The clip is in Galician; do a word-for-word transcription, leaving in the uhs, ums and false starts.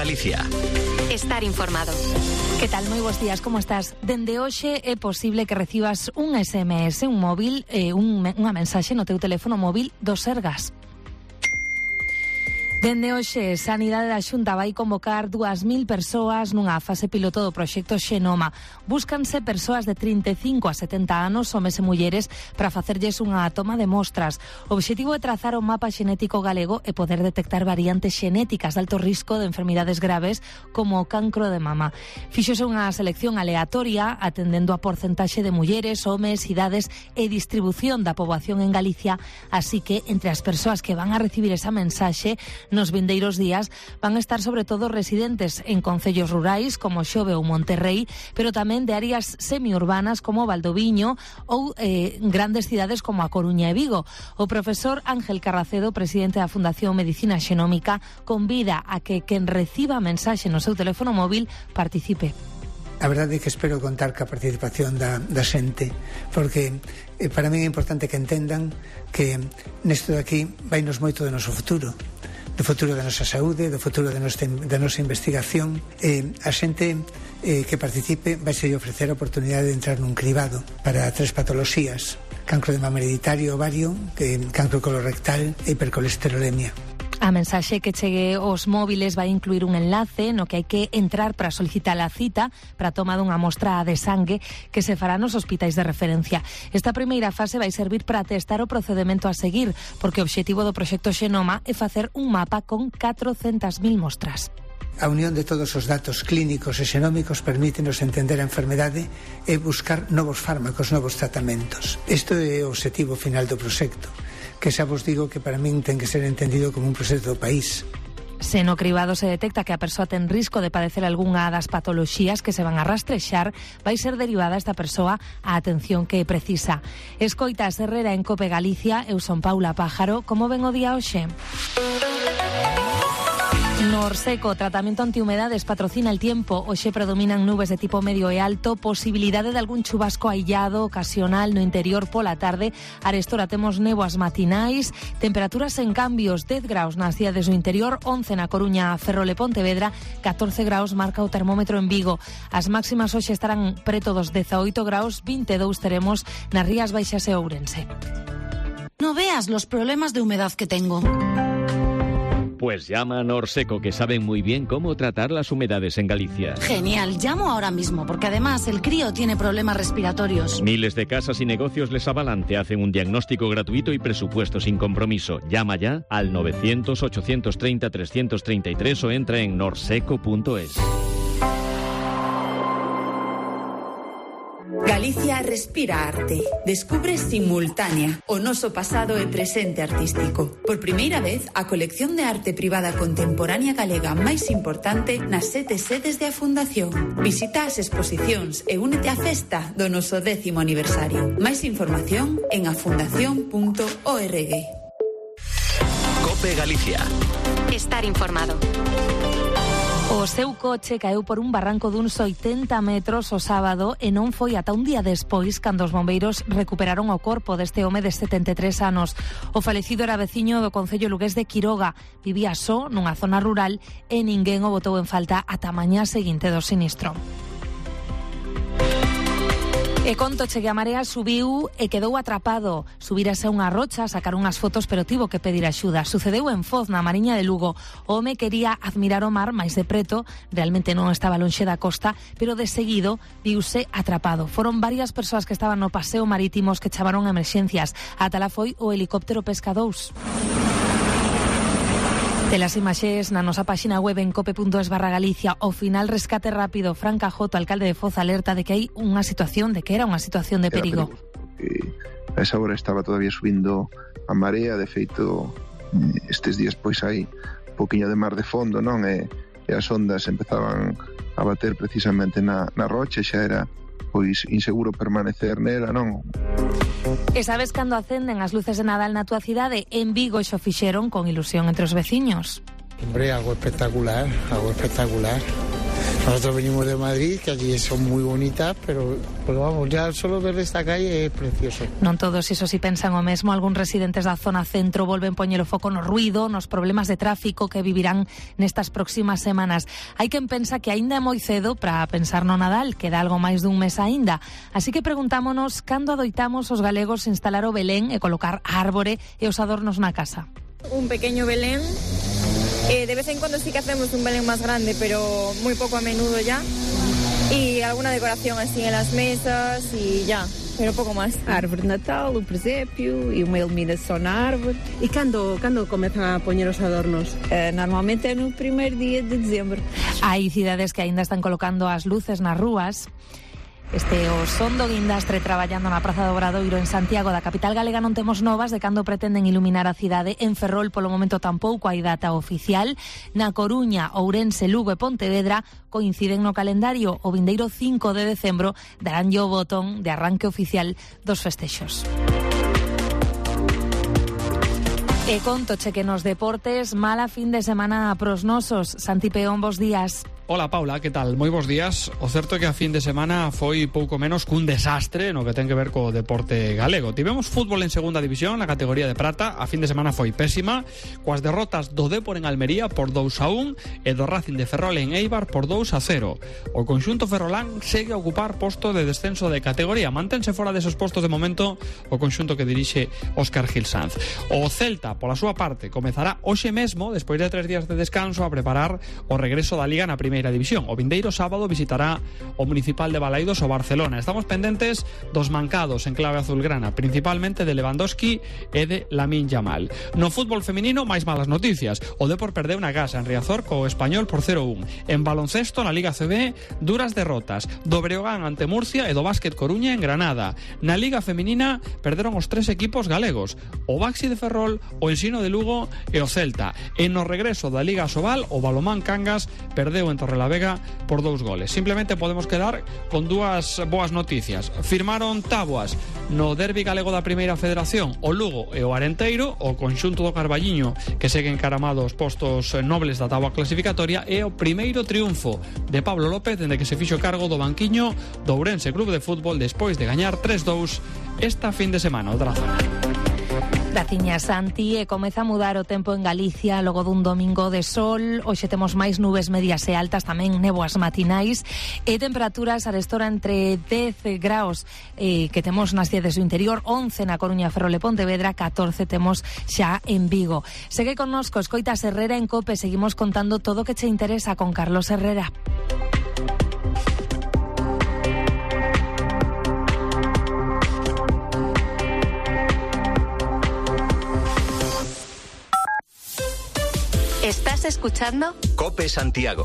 Galicia. Estar informado. Que tal? Moi bons días, como estás? Dende hoxe é posible que recibas un S M S, un móvil, eh, un, unha mensaxe no teu teléfono móvil do Sergas. Dende hoxe, Sanidade da Xunta vai convocar dúas mil persoas nunha fase piloto do proxecto Xenoma. Búscanse persoas de trinta e cinco a setenta anos, homes e mulleres, para facerlles unha toma de mostras. O obxectivo é trazar o mapa xenético galego e poder detectar variantes xenéticas de alto risco de enfermidades graves como o cancro de mama. Fíxose unha selección aleatoria atendendo a porcentaxe de mulleres, homes, idades e distribución da poboación en Galicia, así que entre as persoas que van a recibir esa mensaxe nos vindeiros días van a estar sobre todo residentes en concellos rurais como Xove ou Monterrei, pero tamén de áreas semiurbanas como Valdoviño ou eh, grandes cidades como A Coruña e Vigo. O profesor Ángel Carracedo, presidente da Fundación Medicina Xenómica, convida a que quen reciba mensaxe no seu teléfono móvil participe. A verdade é que espero contar ca participación da, da xente, porque eh, para mí é importante que entendan que nesto de aquí vainos moito do noso futuro, do futuro da nosa saúde, do futuro da nosa, da nosa investigación. Eh, a xente eh, que participe vai se ofrecer a oportunidade de entrar nun cribado para tres patoloxías: cancro de mama hereditario, ovario, eh, cancro colorectal e hipercolesterolemia. A mensaxe que chegue aos móviles vai incluir un enlace no que hai que entrar para solicitar a cita para a toma dunha mostra de sangue que se fará nos hospitais de referencia. Esta primeira fase vai servir para testar o procedemento a seguir, porque o obxectivo do proxecto Xenoma é facer un mapa con catrocentas mil mostras. A unión de todos os datos clínicos e xenómicos permítenos entender a enfermedade e buscar novos fármacos, novos tratamentos. Isto é o obxectivo final do proxecto, que xa vos digo que para min ten que ser entendido como un proxecto do país. Se no cribado se detecta que a persoa ten risco de padecer algunha das patoloxías que se van a rastrexar, vai ser derivada esta persoa a atención que precisa. Escoita a Herrera en Cope Galicia, eu son Paula Pájaro. Como ven o día hoxe? Norseco, tratamento antihumedades, patrocina el tiempo. Hoxe predominan nubes de tipo medio e alto, posibilidade de algún chubasco aillado ocasional no interior pola tarde. Arestora temos néboas matinais, temperaturas en cambios, dez graus nas cidades do interior, once na Coruña, Ferrol e Pontevedra, catorce graus marca o termómetro en Vigo. As máximas hoxe estarán preto dos dezaoito graus, vinte e dous teremos nas Rías Baixas e Ourense. No veas los problemas de humedad que tengo. Pues llama a Norseco, que saben muy bien cómo tratar las humedades en Galicia. Genial, llamo ahora mismo, porque además el crío tiene problemas respiratorios. Miles de casas y negocios les avalan, te hacen un diagnóstico gratuito y presupuesto sin compromiso. Llama ya al novecientos, ochocientos treinta, trescientos treinta y tres o entra en norseco punto es. Galicia respira arte. Descubre Simultánea, o noso pasado e presente artístico. Por primeira vez, a colección de arte privada contemporánea galega máis importante nas sete sedes de a Fundación. Visita as exposicións e únete á festa do noso décimo aniversario. Máis información en afundación punto org. Cope Galicia. Estar informado. O seu coche caeu por un barranco duns oitenta metros o sábado e non foi ata un día despois cando os bombeiros recuperaron o corpo deste home de setenta e tres anos. O falecido era veciño do concello lugués de Quiroga. Vivía só nunha zona rural e ninguén o botou en falta ata a mañá seguinte do sinistro. E contoche que a marea subiu e quedou atrapado. Subírase a unha rocha, sacar unhas fotos, pero tivo que pedir axuda. Sucedeu en Foz, na Mariña de Lugo. O home quería admirar o mar máis de preto, realmente non estaba lonxe da costa, pero de seguido viuse atrapado. Foron varias persoas que estaban no paseo marítimos que chamaron a emerxencias. Ata lá foi o helicóptero Pesca dous. Telas imaxes na nosa páxina web en cope punto es barra Galicia. O final rescate rápido. Fran Cajoto, alcalde de Foz, alerta de que hai unha situación, de que era unha situación de perigo. Eh, a esa hora estaba todavía subindo a marea, de feito estes días pois hai un poquinho de mar de fondo, non? E, e as ondas empezaban a bater precisamente na, na rocha, xa era pois inseguro permanecer nela, non? E sabes cando acenden as luces de Nadal na túa cidade? En Vigo xo fixeron con ilusión entre os veciños. Hombre, algo espectacular, algo espectacular. Nosotros venimos de Madrid, que allí son muy bonitas, pero pues vamos, ya solo ver esta calle é precioso. Non todos, iso si pensan o mesmo. Algúns residentes da zona centro volven poñer o foco no ruido, nos problemas de tráfico que vivirán nestas próximas semanas. Hai quen pensa que aínda é moi cedo para pensar no Nadal, queda algo máis dun mes aínda. Así que preguntámonos cando adoitamos os galegos instalar o Belén e colocar árbore e os adornos na casa. Un pequeño Belén. Eh, de vez en cuando sí que hacemos un Belén más grande, pero muy poco a menudo ya. Y alguna decoración así en las mesas y ya, pero poco más. A árvore de Natal, o presépio e uma iluminação na árvore. E cando, cando comezan a poñer os adornos? Uh, normalmente é no primeiro día de dezembro. Hai cidades que aínda están colocando as luces nas rúas. Este o son do Guindastre traballando na Praza do Obradoiro en Santiago da capital galega. Non temos novas de cando pretenden iluminar a cidade. En Ferrol polo momento tampouco hai data oficial. Na Coruña, Ourense, Lugo e Pontevedra coinciden no calendario. O vindeiro cinco de decembro daránlle o botón de arranque oficial dos festexos. E contoche que nos deportes mala fin de semana pros nosos. Santi Peón, bos días. Hola Paula, que tal? Moi bons días. O certo é que a fin de semana foi pouco menos cun desastre no que ten que ver co deporte galego. Tivemos fútbol en segunda división na categoría de prata. A fin de semana foi pésima, coas derrotas do Dépor en Almería por dous a un e do Racing de Ferrol en Eibar por dous a cero. O conxunto ferrolán segue a ocupar posto de descenso de categoría. Mantense fora deses postos de momento o conxunto que dirixe Óscar Gil Sanz. O Celta, pola súa parte, comezará hoxe mesmo, despois de tres días de descanso, a preparar o regreso da Liga na primeira división. O vindeiro sábado visitará o Municipal de Balaidos o Barcelona. Estamos pendentes dos mancados en clave azulgrana, principalmente de Lewandowski e de Lamine Yamal. No fútbol feminino, máis malas noticias. O Dépor perdeu na casa en Riazor co Español por cero a un. En baloncesto, na Liga C B, duras derrotas do Breogán ante Murcia e do Básquet Coruña en Granada. Na Liga feminina, perderon os tres equipos galegos: o Baxi de Ferrol, o Ensino de Lugo e o Celta. E no regreso da Liga Asobal, o Balomán Cangas perdeu en Torrelavega por dous goles. Simplemente podemos quedar con dúas boas noticias. Firmaron táboas no derbi galego da Primeira Federación o Lugo e o Arenteiro, o conxunto do Carballiño que segue encaramado aos postos nobles da táboa clasificatoria, e o primeiro triunfo de Pablo López dende que se fixo cargo do banquiño do Ourense Club de Fútbol despois de gañar tres dous esta fin de semana. Outra zona. Graciña, Santi, e comeza a mudar o tempo en Galicia logo dun domingo de sol. Hoxe temos máis nubes medias e altas, tamén néboas matinais, e temperaturas arestora entre dez graus eh, que temos nas cidades do interior, once na Coruña, Ferrol e Pontevedra, catorce temos xa en Vigo. Segue connosco, escoitas Herrera en COPE, seguimos contando todo o que che interesa con Carlos Herrera. ¿Estás escuchando? COPE Santiago.